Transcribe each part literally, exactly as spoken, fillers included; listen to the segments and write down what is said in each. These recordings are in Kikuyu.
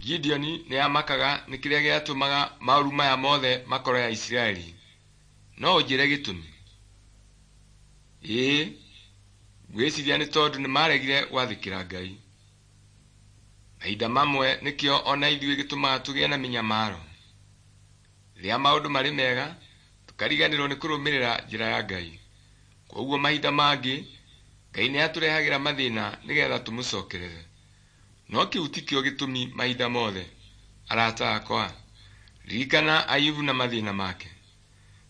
Gideoni nĩamakaga nĩ kĩrĩa gĩatũmaga maũru maya mothe makore Aisiraeli. No ũnjĩre gĩtũmi? Ĩĩ, ngwĩciria nĩ tondũ nĩmaregire gwathĩkĩra Ngai. Mahinda mamwe nĩkĩo ona ithuĩ gĩtũmaga tũgĩe na mĩnyamaro. Rĩrĩa maũndũ marĩ mega, tũkariganĩrwo nĩ kũrũmĩrĩra njĩra ya Ngai. Kwoguo mahinda mangĩ, Ngai nĩatũrehagĩra mathĩna nĩgetha tũmũcokerere. No kĩu tikĩo gĩtũmi mahinda mothe. Arata akwa, ririkana Ayubu na mathĩna make.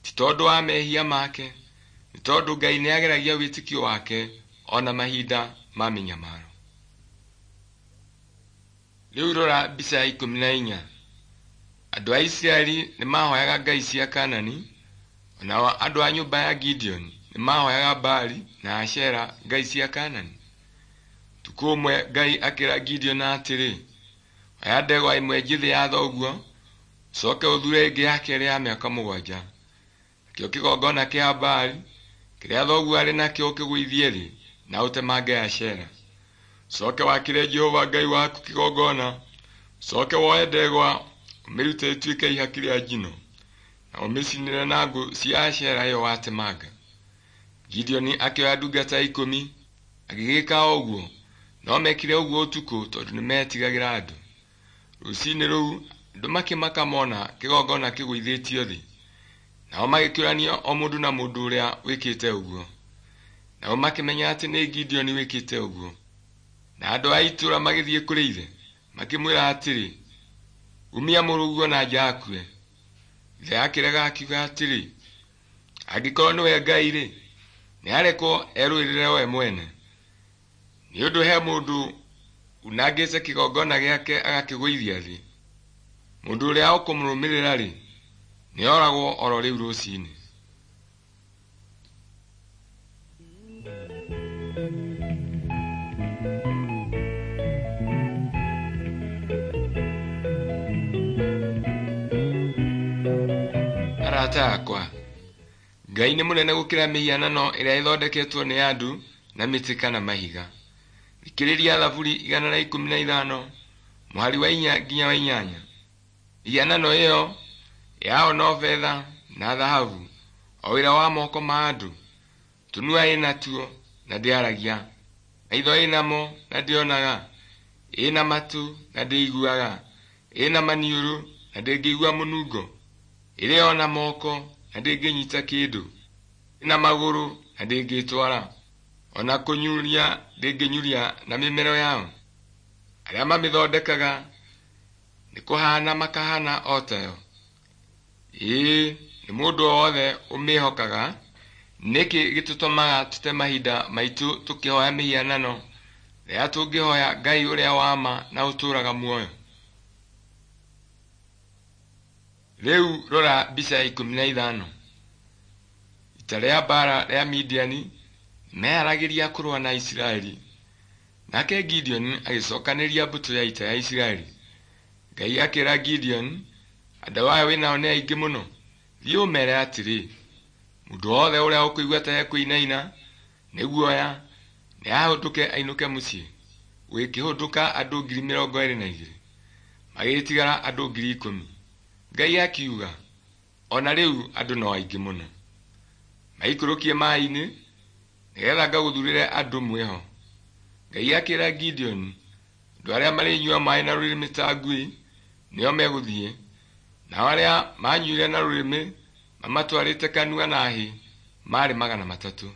Ti tondũ wa mehia make, nĩ tondũ Ngai nĩageragia wĩtĩkio wake ona mahinda ma mĩnyamaro. Rĩu rora mbica ya ikũmi na inya. Andũ a Isiraeli nĩmahoyaga ngai cia Kaanani, onao andũ a nyũmba ya Gideoni nĩmahoyaga Baali na Ashera ngai cia Kaanani. Ũtukũ ũmwe Ngai akĩra Gideoni atĩrĩ, oya ndegwa ĩmwe njĩthĩ ya thoguo, ũcoke ũthure ĩngĩ ya kerĩ ya mĩaka mũgwanja. Nakĩo kĩgongona kĩa Baali kĩrĩa thoguo arĩ nakĩo ũkĩgũithie thĩ na ũtemange Ashera. Ũcoke wakĩre Jehova Ngai waku kĩgongona, ũcoke woe ndegwa ũmĩrute ĩtuĩke ihaki rĩa njino, na ũmĩcinĩre na ngũ cia Ashera ĩyo watemanga. Gideoni akĩoya ndungata ikũmi agĩgĩka o ũguo, no mekire ũguo ũtukũ tondũ nĩmetigagĩra andũ. Rũcinĩ rũu andũ makĩmaka mona kĩgongona kĩgũithĩtio thĩ, nao magĩkĩũrania o mũndũ na mũndũ ũrĩa wĩkĩte ũguo. Nao makĩmenya atĩ nĩ Gideoni wĩkĩte ũguo. Na andũ a itũũra magĩthiĩ kũrĩ ithe, makĩmwĩra atĩrĩ, umia mũrũguo na nja akue. Ithe akĩrega akiuga atĩrĩ, angĩkorwo nĩwe Ngai-rĩ, nĩarekwo erũĩrĩre we mwene. Nĩ ũndũ he mũndũ unangĩte kĩgongona gĩake agakĩgũithia thĩ. Mũndũ ũrĩa ũkũmũrũmĩrĩra-rĩ, nĩoragwo oro rĩu rũcinĩ. Arata akwa, Ngai nĩ mũnene gũkĩra mĩhianano ĩrĩa ĩthondeketwo nĩ andũ na mĩtĩ kana mahiga. Thikĩrĩria Thaburi igana rĩa ikũmi na ithano mũhari wa inya nginya wa inyanya. Mĩhianano ĩyo yao no betha na thahabu, o wĩra wa moko ma andũ. Tũnua ĩnatuo na ndĩaragia, maitho ĩnamo na ndĩonaga, ĩna matũ na ndĩiguaga, ĩna maniũrũ na ndĩngĩigua mũnungo, ĩrĩ ona moko na ndĩngĩnyita kĩndũ, ĩna magũrũ na ndĩngĩtwara, ona kũnyuria ndĩngĩnyuria na mĩmero yao. Arĩa mamĩthondekaga nĩ kũhana makahana o tayo. Ĩĩ, nĩ mũndũ o wothe ũmĩhokaga. Nĩkĩ gĩtũtũmaga tũte mahinda maitũ tũkĩhoya mĩhianano rĩrĩa tũngĩhoya Ngai ũrĩa wa ma na ũtũũraga muoyo? Rĩu rora mbica ya ikũmi na ithano. Ita rĩa mbaara rĩa Midiani nĩmeharagĩria kũrũa na Isiraeli. Nake Gideoni agĩcokanĩria mbũtũ ya ita ya Isiraeli. Ngai akĩra Gideoni, andũ aya wĩnao nĩ aingĩ mũno, thiĩ ũmeere atĩrĩ, mũndũ wothe ũrĩa ũkũigua ta ekũinaina nĩ guoya nĩahũndũke ainũke mũciĩ. Gũgĩkĩhũndũka andũ ngiri mĩrongo ĩrĩ na igĩrĩ, magĩtigara andũ ngiri ikũmi. Ngai akiuga, ona rĩu andũ no aingĩ mũno. Maikũrũkie maĩ-inĩ nĩgetha ngagũthurĩre andũ mwĩho. Ngai akĩra Gideoni, andũ arĩa marĩnyua maĩ na rũrĩmĩ ta ngui nĩo megũthiĩ, nao arĩa manyuire na rũrĩmĩ mamatwarĩte kanua na hĩ marĩ magana matatũ.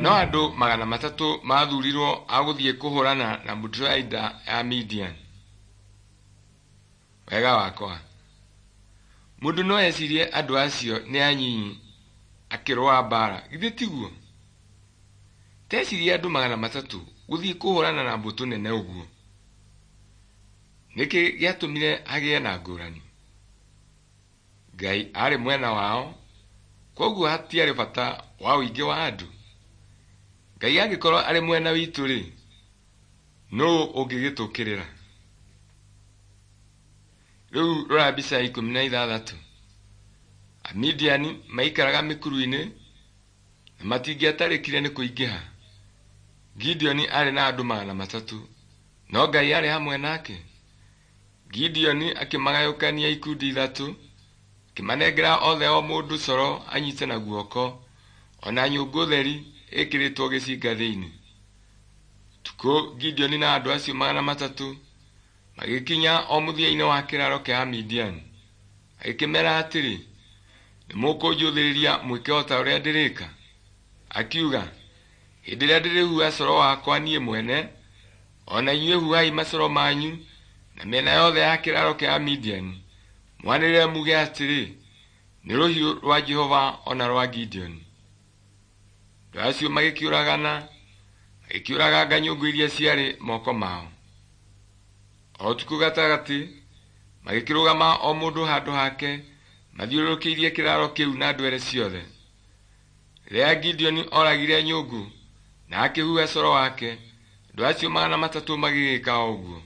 No andũ magana matatũ mathurirwo a gũthiĩ kũhũrana na mbũtũ ya ita ya Midiani. Wega wakwa, mũndũ no ecirie andũ acio nĩ anyinyi akĩrũa mbaara, githĩ tiguo? Tecirie andũ magana matatũ gũthiĩ kũhũrana na mbũtũ nene ũguo. Nĩkĩ gĩatũmire hagĩe na ngũrani? Ngai aarĩ mwena wao, kwoguo hatiarĩ bata wa ũingĩ wa andũ. Ngai angĩkorwo arĩ mwena witũ-rĩ, nũũ ũngĩgĩtũũkĩrĩra? Rĩu rora mbica ya ikũmi na ithathatũ. Amidiani maikaraga mĩkuru-inĩ na matingĩatarĩkire nĩ kũingĩha. Gideoni aarĩ na andũ magana matatũ, no Ngai aarĩ hamwe nake. Gideoni akĩmagayũkania ikundi ithatũ, akĩmanengera othe o mũndũ coro anyite na guoko, ona nyũngũ theri ĩkĩrĩtwo gĩcinga thĩinĩ. Ũtukũ Gideoni na andũ acio magana matatũ magĩkinya o mũthia-inĩ wa kĩraaro kĩa Amidiani. Agĩkĩmeera atĩrĩ, nĩmũkũnjũthĩrĩria mwĩke o ta ũrĩa ndĩrĩka? Akiuga, hĩndĩ ĩrĩa ndĩrĩhuha coro wakwa niĩ mwene, o na inyuĩ huhai macoro manyu na mĩena yothe ya kĩraaro kĩa Amidiani, mwanĩrĩre muge atĩrĩ, nĩ rũhiũ rwa Jehova o na rwa Gideoni. Andũ acio magĩkĩũragana, magĩkĩũraganga nyũngũ iria ciarĩ moko mao. O ũtukũ gatagatĩ magĩkĩrũgama o mũndũ handũ hake mathiũrũrũkĩirie kĩraaro kĩu na ndwere ciothe. Rĩrĩa Gideoni oragire nyũngũ na akĩhuha coro wake, andũ acio magana matatũ magĩgĩka o ũguo.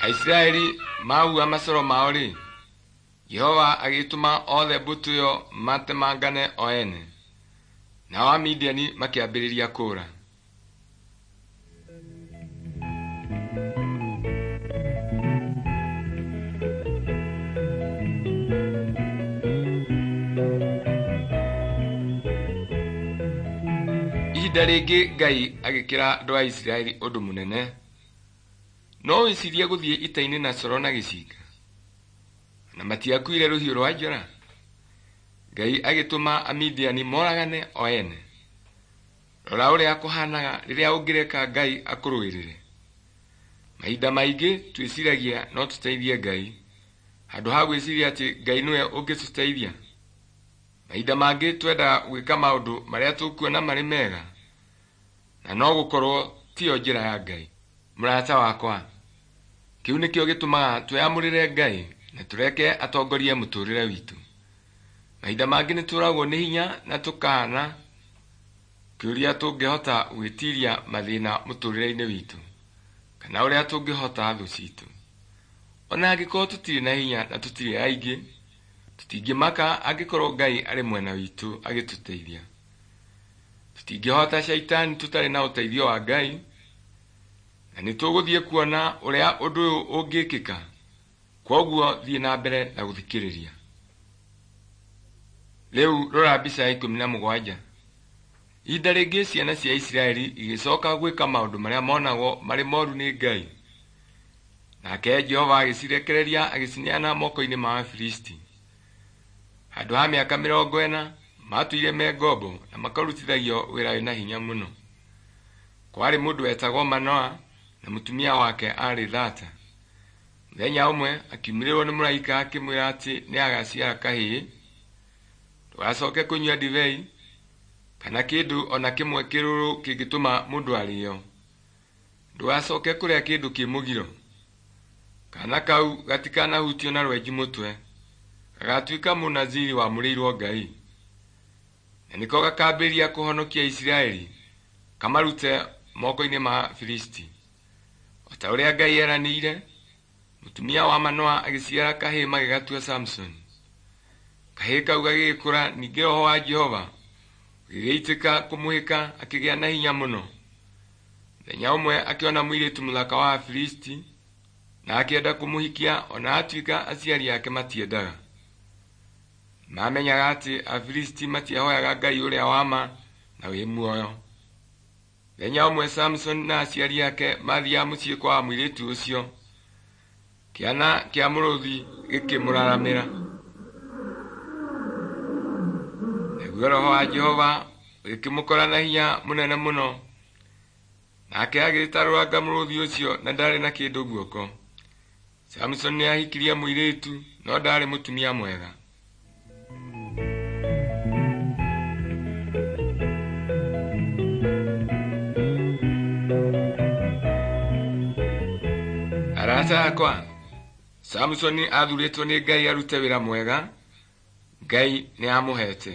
Aisiraeli mahuha macoro mao-rĩ, Jehova agĩtũma othe mbũtũ ĩyo matemangane o ene, nao Amidiani makĩambĩrĩria kũũra. Ihinda rĩngĩ Ngai agĩkĩra andũ a Isiraeli ũndũ mũnene. No wĩcirie gũthiĩ ita-inĩ na coro na gĩcinga? Na matiakuire rũhiũ rwa njora? Ngai agĩtũma Amidiani moragane o ene. Rora ũrĩa kũhanaga rĩrĩa ũngĩreka Ngai akũrũĩrĩre. Mahinda maingĩ twĩciragia no tũteithie Ngai, handũ ha gwĩciria atĩ Ngai nĩwe ũngĩtũteithia. Mahinda mangĩ twendaga gwĩka maũndũ marĩa tũkuona marĩ mega, na no gũkorwo tiyo njĩra ya Ngai. Mũrata wakwa, kĩu nĩkĩo gĩtũmaga twĩamũrĩre Ngai na tũreke atongorie mũtũrĩre witũ. Mahinda mangĩ nĩtũragwo nĩ hinya na tũkahana kĩũria tũngĩhota gwĩtiria mathĩna mũtũrĩre-inĩ witũ, kana ũrĩa tũngĩhota thũ citũ. Ona angĩkorwo tũtirĩ na hinya na tũtirĩ aingĩ, tũtingĩmaka angĩkorwo Ngai arĩ mwena witũ agĩtũteithia. Tũtingĩhota caitani tũtarĩ na ũteithio wa Ngai, na nĩtũgũthiĩ kuona ũrĩa ũndũ ũyũ ũngĩkĩka. Kwoguo thiĩ na mbere na gũthikĩrĩria. Rĩu rora mbica ya ikũmi na mũgwanja. Ihinda rĩngĩ ciana cia Isiraeli igĩcoka gwĩka maũndũ marĩa monagwo marĩ moru nĩ Ngai. Nake Jehova agĩcirekereria agĩcineana moko-inĩ ma Afilisti. Handũ ha mĩaka mĩrongo ĩna matũire me ngombo na makarutithagio wĩra wĩna hinya mũno. Kwarĩ mũndũ wetagwo Manoa na mũtumia wake aarĩ thata. Mũthenya ũmwe akiumĩrĩrwo nĩ mũraika akĩmwĩra atĩ nĩagaciara kahĩĩ, ndũgacoke kũnyua ndibei kana kĩndũ o na kĩmwe kĩrũrũ kĩngĩtũma mũndũ arĩo. Ndũgacoke kũrĩa kĩndũ kĩ mũgiro. Kaana kau gatikanahutio na rwenji mũtwe, gagatuĩka Mũnaziri wamũrĩirwo Ngai. Na nĩko gakambĩrĩria kũhonokia Isiraeli kamarute moko-inĩ ma Afilisti. O ta ũrĩa Ngai eranĩire, mũtumia wa Manoa agĩciara kahĩĩ magĩgatua Samsoni. Kahĩĩ kau gagĩkũra, ningĩ Roho wa Jehova ũgĩgĩitĩka kũmũhĩka akĩgĩa na hinya mũno. Mũthenya ũmwe akĩona mũirĩtu mũthaka wa Afilisti na akĩenda kũmũhikia ona atuĩka aciari ake matiendaga. Mamenyaga atĩ Afilisti matiahoyaga Ngai ũrĩa wa ma na wĩ muoyo. Mũthenya ũmwe Samsoni na aciari ake mathiaga mũciĩ kwa mũirĩtu ũcio, kĩana kĩa mũrũthi gĩkĩmũraramĩra. Naguo Roho wa Jehova ũgĩkĩmũkora na hinya mũnene mũno, nake agĩtarũranga mũrũthi ũcio na ndarĩ na kĩndũ guoko. Samsoni nĩahikirie mũirĩtu no ndaarĩ mũtumia mwega. Arata akwa, Samsoni athurĩtwo nĩ Ngai arute wĩra mwega, Ngai nĩamũhete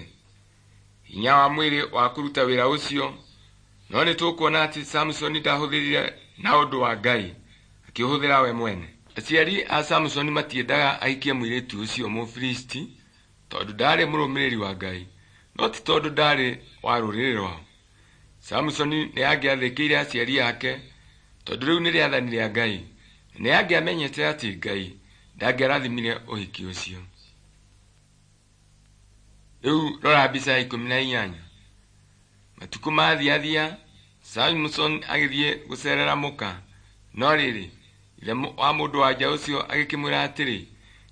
hinya wa mwĩrĩ wa kũruta wĩra ũcio. No nĩ tũkuona atĩ Samusoni ndahũthĩrire na ũndũ wa Ngai, akĩũhũthĩra we mwene. Aciari a Samusoni matiendaga ahikie mũirĩtu ũcio Mũfilisti tondũ ndaarĩ mũrũmĩrĩri wa Ngai, no ti tondũ ndaarĩ wa rũrĩrĩ rwao. Samusoni nĩ angĩathĩkĩire aciari ake tondũ rĩu nĩ rĩathani rĩa Ngai, na nĩ angĩamenyete atĩ Ngai ndangĩarathimire ũhiki ũcio. Rĩu rora mbica ya ikũmi na inyanya. Matukũ mathiathia, Samusoni agĩthiĩ gũcerera mũka, no rĩrĩ, ithe wa mũndũ-wa-nja ũcio agĩkĩmwĩra atĩrĩ,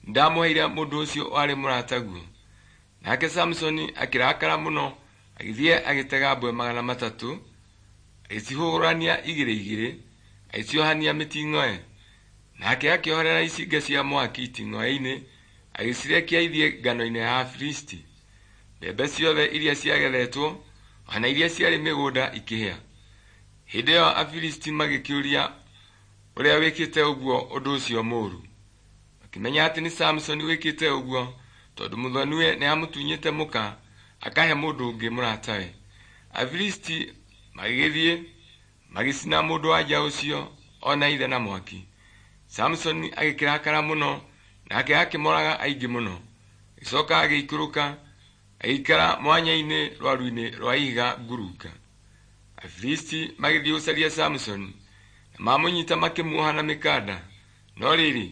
nĩndamũheire mũndũ ũcio warĩ mũrataguo. Nake Samusoni akĩrakara mũno, agĩthiĩ agĩtega mbwe magana matatũ, agĩcihũrania igĩrĩ igĩrĩ, agĩciohania mĩting'oe. Nake akĩohorera icinga cia mwaki iting'oe-inĩ, agĩcirekia ithiĩ ngano-inĩ ya Afilisti. Mbembe ciothe iria ciagethetwo o na iria ciarĩ mĩgũnda ikĩhĩa. Hĩndĩ ĩyo Afilisti magĩkĩũria ũrĩa wĩkĩte ũguo ũndũ ũcio mũũru. Makĩmenya atĩ nĩ Samusoni wĩkĩte ũguo tondũ mũthoniwe nĩamũtunyĩte mũka akahe mũndũ ũngĩ mũratawe. Afilisti magĩgĩthiĩ magĩcina mũndũ-wa-nja ũcio o na ithe na mwaki. Samusoni agĩkĩrakara mũno nake akĩmooraga aingĩ mũno. Agĩcoka agĩikũrũka agĩikara mwanya-inĩ rwaru-inĩ rwa ihiga ngurunga. Afilisti magĩthiĩ gũcaria Samusoni na mamũnyita makĩmuoha na mĩkanda. No rĩrĩ,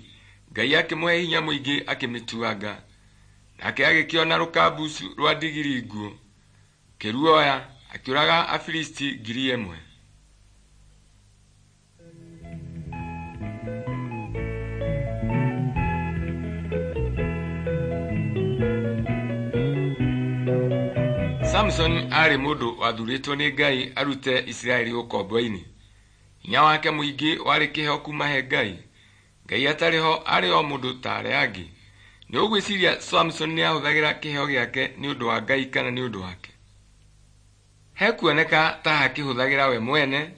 Ngai akĩmũhe hinya mũingĩ akĩmĩtuanga. Nake agĩkĩona rũkambucu rwa ndigiri nguũ, akĩruoya akĩũraga Afilisti ngiri ĩmwe. Samusoni aarĩ mũndũ wathurĩtwo nĩ Ngai arute Isiraeli ũkombo-inĩ. Hinya wake mũingĩ warĩ kĩheo kuuma he Ngai. Ngai atarĩ ho aarĩ o mũndũ ta arĩa angĩ. Nĩ ũgwĩciria Samusoni nĩahũthagĩra kĩheo gĩake nĩ ũndũ wa Ngai kana nĩ ũndũ wake? Hekuoneka ta akĩhũthagĩra we mwene,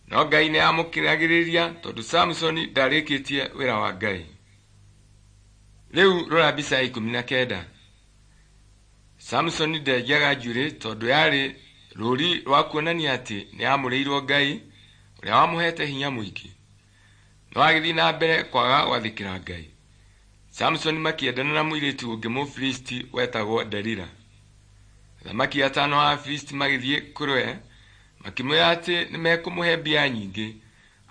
no Ngai nĩ aamũkiragĩrĩria tondũ Samusoni ndaarĩkĩtie wĩra wa Ngai. Rĩu rora mbica ya ikũmi na kenda. Samusoni ndenjaga njuĩrĩ tondũ yarĩ rũũri rwa kuonania atĩ nĩamũrĩirwo Ngai ũrĩa wamũhete hinya mũingĩ. No agĩthiĩ na mbere kwaga gwathĩkĩra Ngai. Samusoni makĩendana na mũirĩtu ũngĩ Mũfilisti wetagwo Delila. Athamaki atano a Afilisti magĩthiĩ kũrĩ we makĩmwĩra atĩ nĩmekũmũhe mbia nyingĩ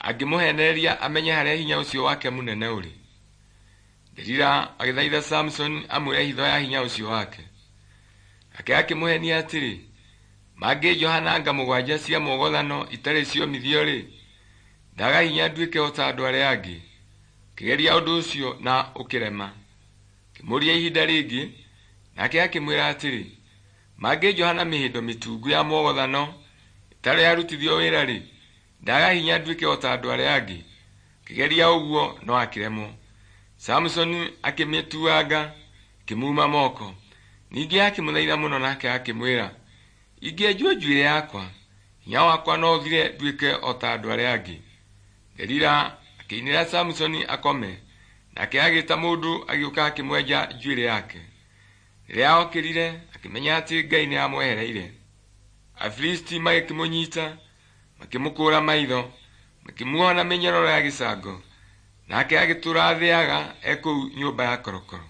angĩmũheenereria amenye harĩa hinya ũcio wake mũnene ũrĩ. Delila agĩthaitha Samusoni amwĩre hitho ya hinya ũcio wake. Nake akĩmũheenia atĩrĩ, mangĩnjoha na nga mũgwanja cia mwogothano itarĩ ciomithio-rĩ, ndaga hinya nduĩke o ta andũ arĩa angĩ. Akĩgeria ũndũ ũcio na ũkĩrema. Akĩmũũria ihinda rĩngĩ, nake akĩmwĩra atĩrĩ, mangĩnjoha na mĩhĩndo mĩtungu ya mwogothano ĩtarĩ yarutithio wĩra-rĩ, ndaga hinya nduĩke o ta andũ arĩa angĩ. Akĩgeria ũguo no akĩremwo. Samusoni akĩmĩtuanga, ĩkĩmuuma moko. Ningĩ akĩmũthaitha mũno nake akĩmwĩra, ingĩenjwo njuĩrĩ yakwa, hinya wakwa no ũthire nduĩke o ta andũ arĩa angĩ. Delila akĩinĩra Samusoni akome, nake agĩĩta mũndũ agĩũka akĩmwenja njuĩrĩ yake. Rĩrĩa okĩrire, akĩmenya atĩ Ngai nĩamwehereire. Afilisti magĩkĩmũnyiita, makĩmũkũũra maitho, makĩmuoha na mĩnyororo ya gĩcango, nake agĩtũũra athĩaga e kũu nyũmba ya korokoro.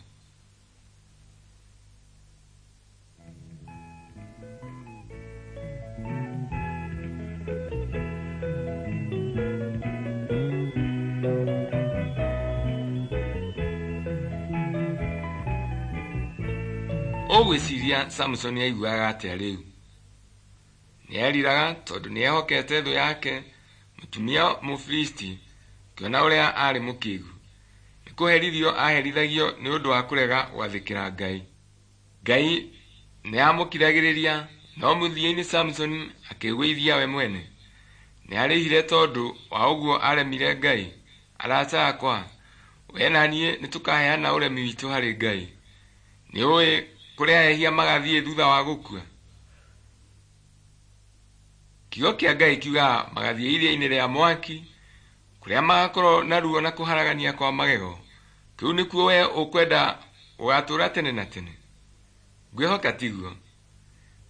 Ũgwĩciria Samusoni aiguaga atĩa rĩu? Nĩeriraga tondũ nĩehokete thũ yake mũtumia Mũfilisti akĩona ũrĩa aarĩ mũkĩgu. Nĩ kũherithio aaherithagio nĩ ũndũ wa kũrega gwathĩkĩra Ngai. Ngai nĩamũkiragĩrĩria, no mũthia-inĩ Samusoni akĩĩgũithia we mwene. Nĩarĩhire tondũ wa ũguo aremire Ngai. Arata akwa, we na niĩ nĩtũkaheana ũremi witũ harĩ Ngai. Nĩũĩ kũrĩa ehia magathiĩ thutha wa gũkua? Kiugo kĩa Ngai kiugaga magathiĩ iria-inĩ rĩa mwaki kũrĩa magakorwo na ruo na kũharagania kwa magego. Kĩu nĩkuo we ũkwenda ũgatũũra tene na tene? Ngwĩhoka tiguo.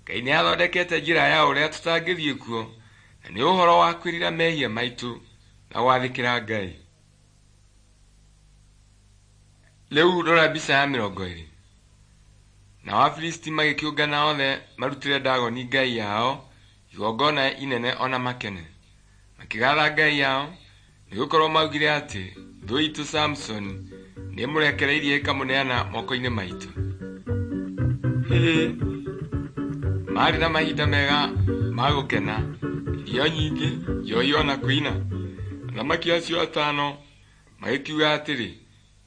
Ngai Ngai nĩathondekete njĩra ya ũrĩa tũtangĩthiĩ kuo, na nĩ ũhoro wa kwĩrira mehia maitũ na gwathĩkĩra Ngai. Rĩu rora mbica ya mĩrongo ĩrĩ. Nao Afilisti magĩkĩũngana othe marutĩre Dagoni ngai yao igongona inene ona makene. Makĩgatha ngai yao, nĩgũkorwo maugire atĩ thũ itũ Samsoni nĩĩmũrekereirie ĩkamũneana moko-inĩ maitũ. Hĩ, maarĩ na mahinda mega ma gũkena, irio nyingĩ, njohi ona kũina. Athamaki acio atano magĩkiuga atĩrĩ,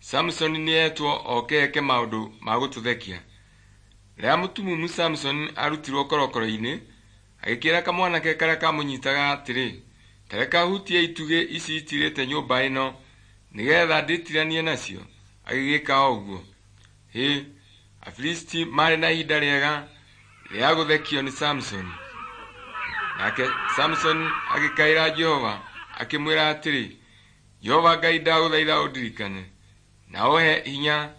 Samsoni nĩetwo oke eke maũndũ ma gũtũthekia. Rĩrĩa mũtumumu Samsoni arutirwo korokoro-inĩ, agĩkĩra kamwanake karĩa kamũnyitaga atĩrĩ, ta reke hutie itugĩ ici itiirĩte nyũmba ĩno, nĩgeetha ndĩtiranie nacio. Agĩgĩka o ũguo. Hĩ, Afilisti maarĩ na ihinda rĩega rĩa gũthekio nĩ Samsoni. Nake Samsoni agĩkaĩra Jehova akĩmwĩra atĩrĩ, Jehova Ngai ndagũthaitha ũndirikane na ũhe hinya,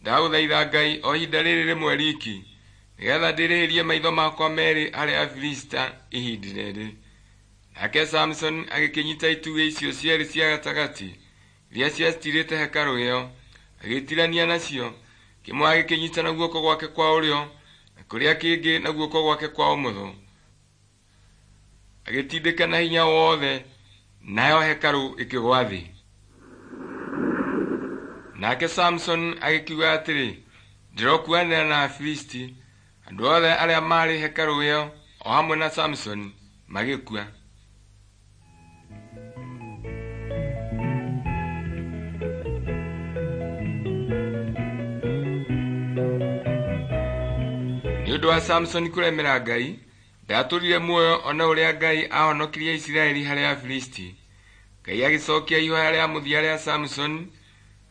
ndagũthaitha Ngai o ihinda rĩrĩ rĩmwe riki, nĩgeetha ndĩrĩhĩrie maitho makwa meerĩ harĩ Afilisti ihinda rĩrĩ. Nake Samsoni agĩkĩnyiita itugĩ icio cierĩ cia gatagatĩ iria ciatiirĩte hekarũ ĩyo, agĩĩtirania nacio, kĩmwe agĩkĩnyiita na guoko gwake kwa ũrĩo na kĩrĩa kĩngĩ na guoko gwake kwa ũmotho. Agĩtindĩka na hinya wothe, nayo hekarũ ĩkĩgũa thĩ. Nake Samsoni agĩkiuga atĩrĩ, ndĩrokuanĩra na Afilisti. Andũ othe arĩa maarĩ hekarũ ĩyo o hamwe na Samsoni magĩkua. Nĩ ũndũ wa Samsoni kũremera Ngai, ndaatũũrire muoyo one ũrĩa Ngai aahonokirie Isiraeli harĩ Afilisti. Ngai agĩcokia ihooya rĩa mũthia rĩa Samsoni,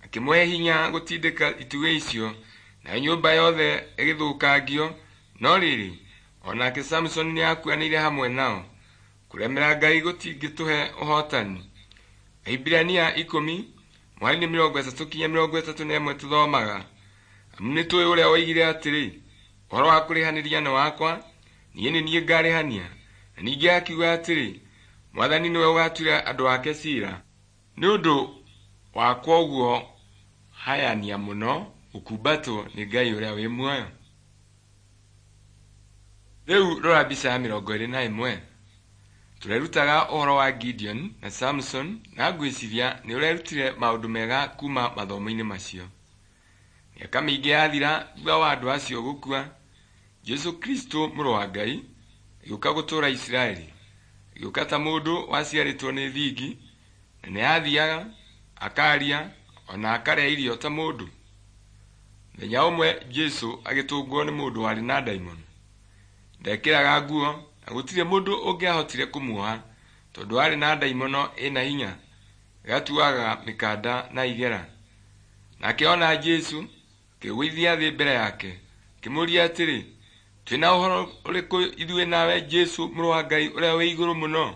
akĩmũhe hinya gũtindĩka itugĩ icio, nayo nyũmba yothe ĩgĩthũkangio. No rĩrĩ, o nake Samsoni nĩakuanĩire hamwe nao. Kũremera Ngai gũtingĩtũhe ũhootani. Ahibirania ikũmi mũhari-inĩ mĩrongo ĩtatũ nginya mĩrongo ĩtatũ na ĩmwe tũthomaga, amu nĩtũũĩ ũrĩa woigire atĩrĩ, ũhoro wa kũrĩhanĩria nĩ wakwa, niĩ nĩ niĩ ngaarĩhania. Na ningĩ akiuga atĩrĩ, Mwathani nĩwe ũgaatuĩra andũ ake ciira. Nĩ ũndũ wakwa ũguo hayania mũno gũkumbatwo nĩ Ngai ũrĩa wĩ muoyo. Rĩu rora mbica ya mĩrongo ĩrĩ na ĩmwe. Tũrerutaga ũhoro wa Gideon na Samson na ngwĩciria nĩ ũrerutire maũndũ mega kuuma mathomo-inĩ macio. Mĩaka mĩingĩ yathira thutha wa andũ acio gũkua, Jesũ Kristo mũrũ wa Ngai agĩũka gũtũũra Isiraeli. Agĩũka ta mũndũ waciarĩtwo nĩ thingi, na nĩathiaga, akaria, ona akarĩa irio ta mũndũ. Mũthenya ũmwe Jesũ agĩtũngwo nĩ mũndũ warĩ na ndaimono. Ndekĩraga nguo na gũtirĩ mũndũ ũngĩahotire kũmuoha tondũ aarĩ na ndaimono ĩna hinya, ĩgatuaga mĩkanda na igera. Nake ona Jesũ, akĩĩgũithia thĩ mbere yake, akĩmũũria atĩrĩ, twĩna ũhoro ũrĩkũ ithuĩ nawe Jesũ mũrũ wa Ngai ũrĩa wĩ igũrũ mũno?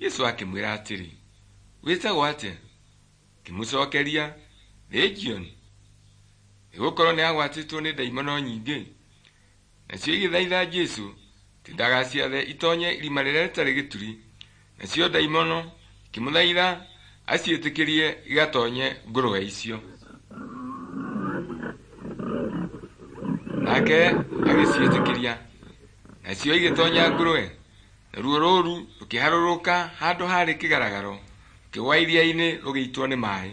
Jesũ akĩmwĩra atĩrĩ, wĩtagwo atĩa? Akĩmũcookeria, Legioni, nĩgũkorwo nĩagwatĩtwo nĩ ndaimono nyingĩ. Nacio igĩthaitha Jesũ atĩ ndagaciathe itoonye irima rĩrĩa rĩtarĩ gĩturi. Nacio ndaimono ikĩmũthaitha aciĩtĩkĩrie igatoonye ngũrwe icio. Nake agĩciĩtĩkĩria, nacio igĩtoonya ngũrwe, naruo rũũru rũkĩharũrũka handũ haarĩ kĩgaragaro, rũkĩgũa iria-inĩ rũgĩitwo nĩ maaĩ.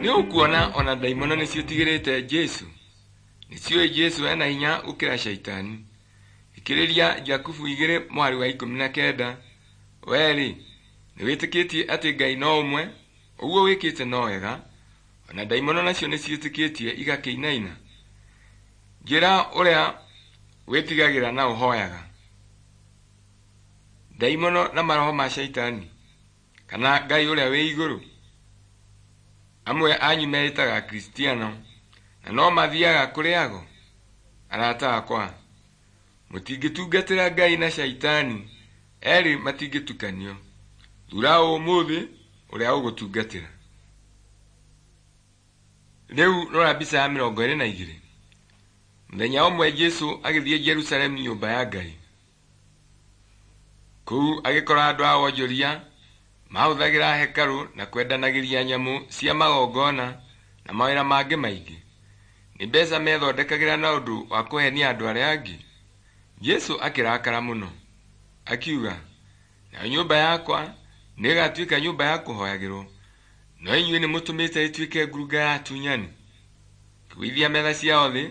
Nĩ ũkuona ona ndaimono nĩciĩtigĩrĩte Jesũ. Nĩciũĩ Jesũ ena hinya gũkĩra Shaitani. Thikĩrĩria Jakubu igĩrĩ mũhari wa ikũmi na kenda. Wee-rĩ, nĩwĩtĩkĩtie atĩ Ngai no ũmwe? Ũguo wĩkĩte no wega. Ona ndaimono nacio nĩciĩtĩkĩtie igakĩinaina. Njĩra ũrĩa wĩtigagĩra na ũhooyaga. Ndaimono na maroho ma Shaitani, kana Ngai ũrĩa wĩ igũrũ. Amwe anyu meĩtaga Akristiano na no mathiaga kũrĩ ago. Arata akwa, mũtingĩtungatĩra Ngai na Shaitani. Eerĩ matingĩtukanio. Thuura ũmũthĩ ũrĩa ũgũtungatĩra. Rĩu rora mbica ya mĩrongo ĩrĩ na igĩrĩ. Mũthenya ũmwe Jesũ agĩthiĩ Jerusalemu nyũmba ya Ngai. Kũu agĩkora andũ a wonjoria mahũthagĩra hekarũ na kwendanagĩria nyamũ cia magongona na mawĩra mangĩ maingĩ. Nĩ mbeca methondekagĩra na ũndũ wa kũhenia andũ arĩa angĩ. Jesũ akĩrakara mũno, akiuga, nayo nyũmba yakwa nĩĩgatuĩka nyũmba ya kũhoyagĩrwo, no inyuĩ nĩmũtũmĩte ĩtuĩke ngurunga ya atunyani. Akĩgũithia metha ciao thĩ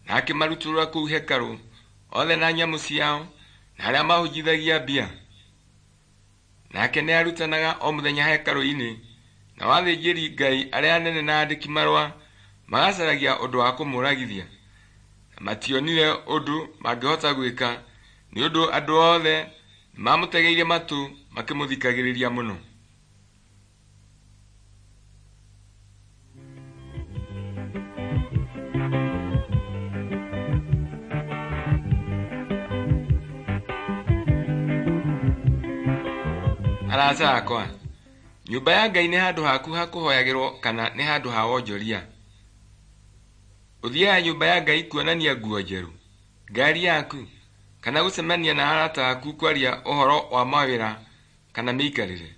na akĩmarutũrũra kũu hekarũ othe na nyamũ ciao na arĩa mahunjithagia mbia. Nake nĩarutanaga o mũthenya hekarũ-inĩ, nao athĩnjĩri-Ngai arĩa anene na andĩki marũa magacaragia ũndũ wa kũmũũragithia, na mationire ũndũ mangĩhota gwĩka nĩ ũndũ andũ othe nĩmamũtegeire matũ makĩmũthikagĩrĩria mũno. Arata akwa, nyũmba ya Ngai nĩ handũ haku ha kũhoyagĩrwo kana nĩ handũ ha wonjoria? Ũthiaga nyũmba ya Ngai kuonania nguo njerũ, ngari yaku, kana gũcemania na arata aku kwaria ũhoro wa mawĩra kana mĩikarĩre?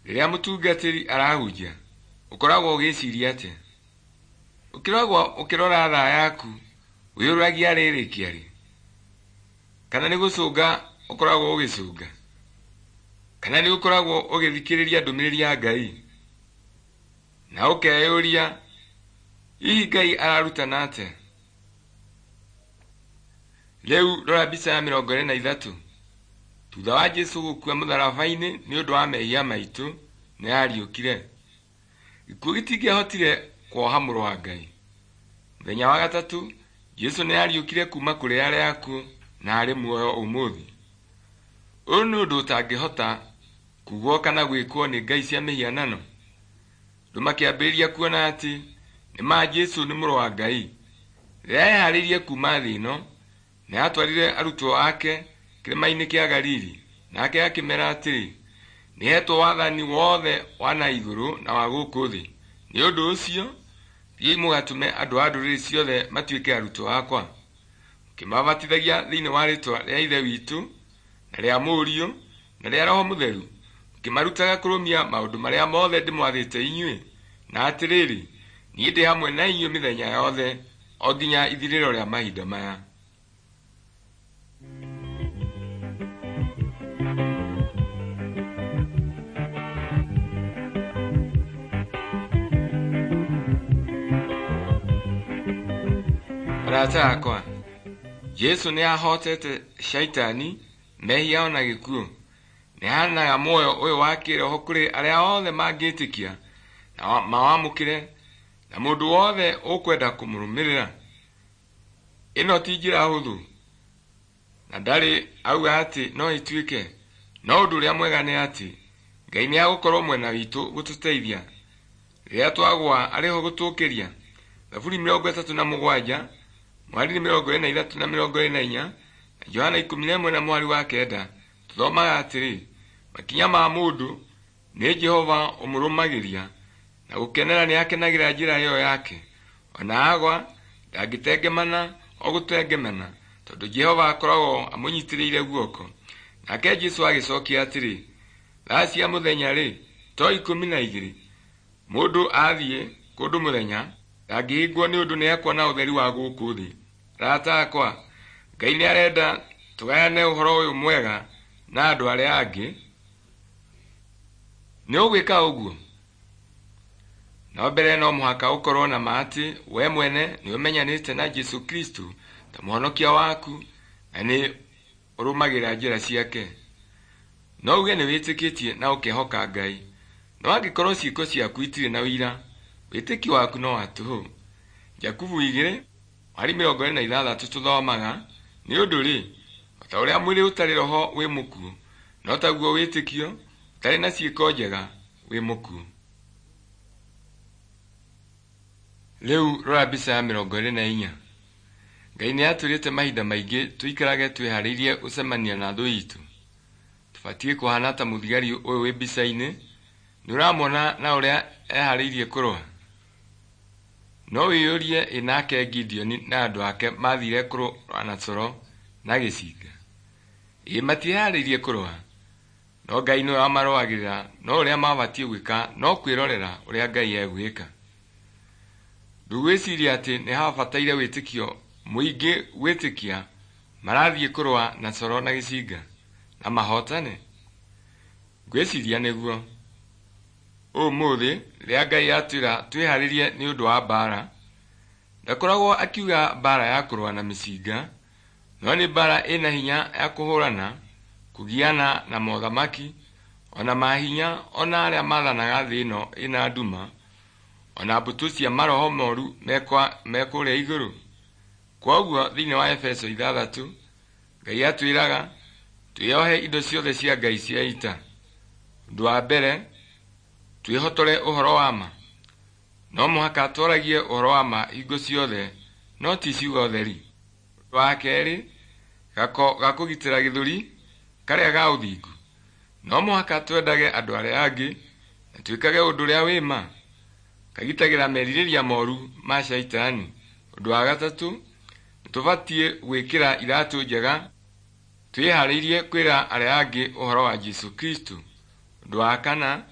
Rĩrĩa mũtungatĩri arahunjia, ũkoragwo ũgĩciria atĩa? Ũkĩragwo ũkĩrora thaa yaku, wĩyũragia rĩrĩkia rĩ? Kana nĩ gũcũnga ũkoragwo ũgĩcũnga? Kana nĩ ũkoragwo ũgĩthikĩrĩria ndũmĩrĩri ya Ngai? Na ũkeyũria, hihi Ngai ararutana atĩa? Rĩu rora mbica ya mĩrongo ĩrĩ na ithatũ. Thutha wa Jesũ gũkua mũtharaba-inĩ nĩ ũndũ wa mehia maitũ, nĩ ariũkire. Gĩkuũ gĩtingĩahotire kuoha mũrũ wa Ngai. Mũthenya wa gatatũ, Jesũ nĩ ariũkire kuma kũrĩ arĩa akuũ na arĩ muoyo ũmũthĩ. Ũyũ nĩ ũndũ ũtangĩhota kugwo kana gwĩkwo nĩ ngai cia mĩhianano. Andũ makĩambĩrĩria kuona atĩ nĩ ma Jesũ nĩ mũrũ wa Ngai. Rĩrĩa eharĩirie kuma thĩ ĩno, nĩ aatwarire arutwo ake kĩrĩma-inĩ kĩa Galili, nake akĩmeera atĩrĩ, nĩhetwo wathani wothe wa na igũrũ na wa gũkũ thĩ. Nĩ ũndũ ũcio, thiĩi mũgatũme andũ a ndũrĩrĩ ciothe matuĩke arutwo akwa, mũkĩmabatithagia thĩinĩ wa rĩĩtwa rĩa Ithe witũ na rĩa Mũriũ na rĩa Roho Mũtheru, mũkĩmarutaga kũrũmia maũndũ marĩa mothe ndĩmwathĩte inyuĩ. Na atĩrĩrĩ, niĩ ndĩ hamwe na inyuĩ mĩthenya yothe o nginya ithirĩro rĩa mahinda maya. Arata akwa, Jesũ nĩahotete shaitani, mehia ona gĩkuũ. Nĩaheanaga muoyo ũyũ wa kĩĩroho kũrĩ arĩa othe mangĩtĩkia na mawamũkĩre, na mũndũ wothe ũkwenda kũmũrũmĩrĩra. Ĩno ti njĩra hũthũ, na ndarĩ auga atĩ no ĩtuĩke, no ũndũ ũrĩa mwega nĩ atĩ Ngai nĩagũkorwo mwena witũ gũtũteithia. Rĩrĩa twagũa arĩ ho gũtũũkĩria. Thaburi mĩrongo ĩtatũ na mũgwanja mweri mĩrongo ĩrĩ na ithatũ na mĩrongo ĩrĩ na inya na Johana ikũmi na ĩmwe na mweri wa kenda tũthomaga atĩrĩ, makinya ma mũndũ nĩ Jehova ũmũrũmagĩria, na gũkenera nĩakenagĩra njĩra ĩyo yake. Ona agwa ndangĩtengemana o gũtengemana, tondũ Jehova akoragwo amũnyitĩrĩire guoko. Nake Jesũ agĩcokia atĩrĩ, thaa cia mũthenya-rĩ, to ikũmi na igĩrĩ? Mũndũ athiĩ kũndũ mũthenya ndangĩhĩngwo nĩ ũndũ nĩekuona ũtheri wa gũkũ thĩ. Arata akwa, Ngai nĩarenda tũgayane ũhoro ũyũ mwega na andũ arĩa angĩ. Nĩ ũgwĩka ũguo? No mbere no mũhaka ũkorwo na ma atĩ we mwene nĩũmenyanĩte na Jesũ Kristo ta mũhonokia waku na nĩ ũrũmagĩrĩra njĩra ciake. No uge nĩwĩtĩkĩtie na ũkehoka Ngai, no angĩkorwo ciĩko ciaku itirĩ na ũira, wĩtĩkio waku no wa tũhũ. Jakubu igĩrĩ mweri mĩrongo ĩrĩ na ithathatũ tũthomaga, nĩ ũndũ rĩ, o ta ũrĩa mwĩrĩ ũtarĩ roho wĩ mũkuũ, no taguo wĩtĩkio ũtarĩ na ciĩko njega wĩ mũkuũ. Rĩu rora mbica ya mĩrongo ĩrĩ na inya. Ngai nĩ atwĩrĩte mahinda maingĩ tũikarage twĩharĩirie gũcemania na thũ itũ. Tũbatiĩ kũhana ta mũthigari ũyũ wĩ mbica-inĩ, nĩ ũramwona na ũrĩa eharĩirie kũrũa. No wĩyũrie ĩ nake Gideoni na andũ ake mathire kũrũa na coro na gĩcinga. Ĩ matieharĩirie kũrũa? No Ngai nĩwe wamarũagĩrĩra, no ũrĩa mabatiĩ gwĩka no kwĩrorera ũrĩa Ngai egwĩka. Ndũgwĩciria atĩ nĩ habataire wĩtĩkio mũingĩ gwĩtĩkia marathiĩ kũrũa na coro na gĩcinga na mahotane? Ngwĩciria nĩguo. Ũmũthĩ rĩrĩa Ngai atwĩra twĩharĩrie nĩ ũndũ wa mbaara, ndakoragwo akiuga mbaara ya kũrũa na mĩcinga, no nĩ mbaara ĩna hinya ya kũhũrana, kũgiana na mothamaki, ona mahinya ona arĩa mathanaga thĩ ĩno ĩna nduma, ona mbũtũ cia maroho moru me kũrĩa igũrũ. Kwoguo thĩinĩ wa Efeso ithathatũ, Ngai atwĩraga twĩohe indo ciothe cia Ngai cia ita. Ũndũ wa mbere, twĩhotore ũhoro wa ma. No mũhaka twaragie ũhoro wa ma hingo ciothe, no ti ciugo theri. Ũndũ wa kerĩ, gako ga kũgitĩra gĩthũri karĩa ga ũthingu. No mũhaka twendage andũ arĩa angĩ na twĩkage ũndũ ũrĩa wĩ ma. Kagitagĩra merirĩria moru ma shaitani. Ũndũ wa gatatũ, nĩtũbatiĩ gwĩkĩra iratũ njega twĩharĩirie kwĩra arĩa angĩ ũhoro wa Jesũ Kristo. Ũndũ wa kana,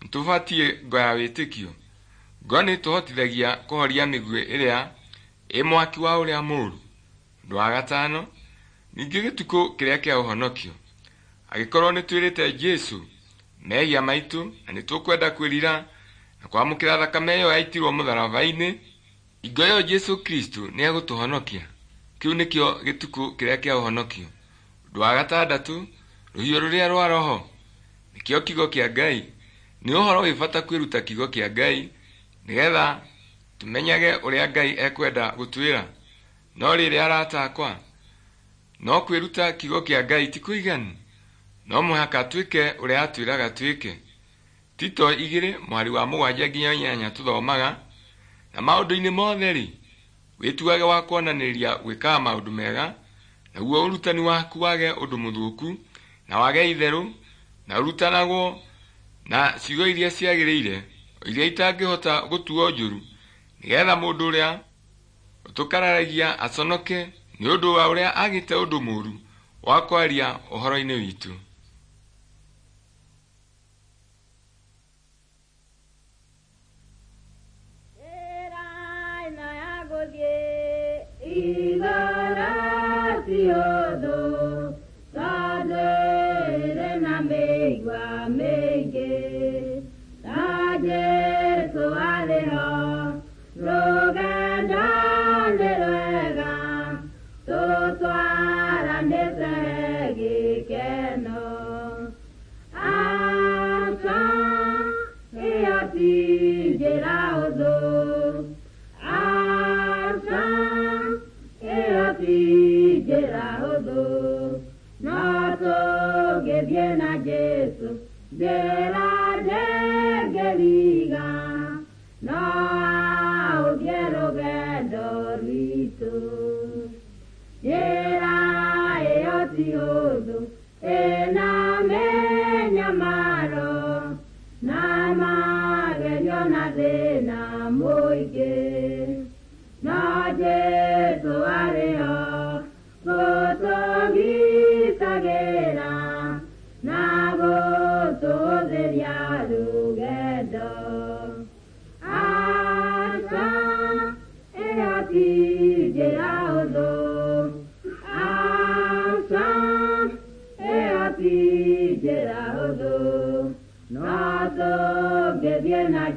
nĩtũbatiĩ ngo ya wĩtĩkio. Ngo nĩĩtũhotithagia kũhoria mĩguĩ ĩrĩa ĩ mwaki wa ũrĩa mũũru. Ũndũ wa gatano, ningĩ gĩtukũ kĩrĩa kĩa ũhonokio. Angĩkorwo nĩtwĩrĩte Jesũ mehia maitũ na nĩtũkwenda kwĩrira na kwamũkĩra thakame ĩyo yaitirwo mũtharaba-inĩ, hingo ĩyo Jesũ Kristo nĩegũtũhonokia. Kĩu nĩkĩo gĩtukũ kĩrĩa kĩa ũhonokio. Ũndũ wa gatandatũ, rũhiũ rũrĩa rwa Roho nĩkĩo kiugo kĩa Ngai. Nĩ ũhoro wĩ bata kwĩruta kiugo kĩa Ngai nĩgetha tũmenyage ũrĩa Ngai ekwenda gũtwĩra. No rĩrĩ arata akwa, no kwĩruta kiugo kĩa Ngai ti kũiganu, no mũhaka twĩke ũrĩa atwĩraga twĩke. Tito igĩrĩ mwari wa mũgwanja nginya inyanya tũthomaga, na maũndũ-inĩ mothe-rĩ, wĩtuage wa kuonanĩria gwĩkaga maũndũ mega, naguo ũrutani waku wage ũndũ mũthũku na wage itherũ, na ũrutanagwo na ciugo iria ciagĩrĩire, iria itangĩhota gũtuo njũru, nĩgetha mũndũ ũrĩa ũtũkararagia aconoke nĩ ũndũ wa ũrĩa agĩte ũndũ mũũru wa kwaria ũhoro-inĩ witũ.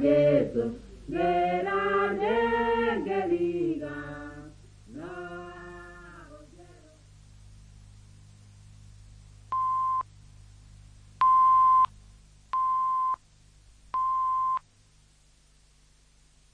Jesu,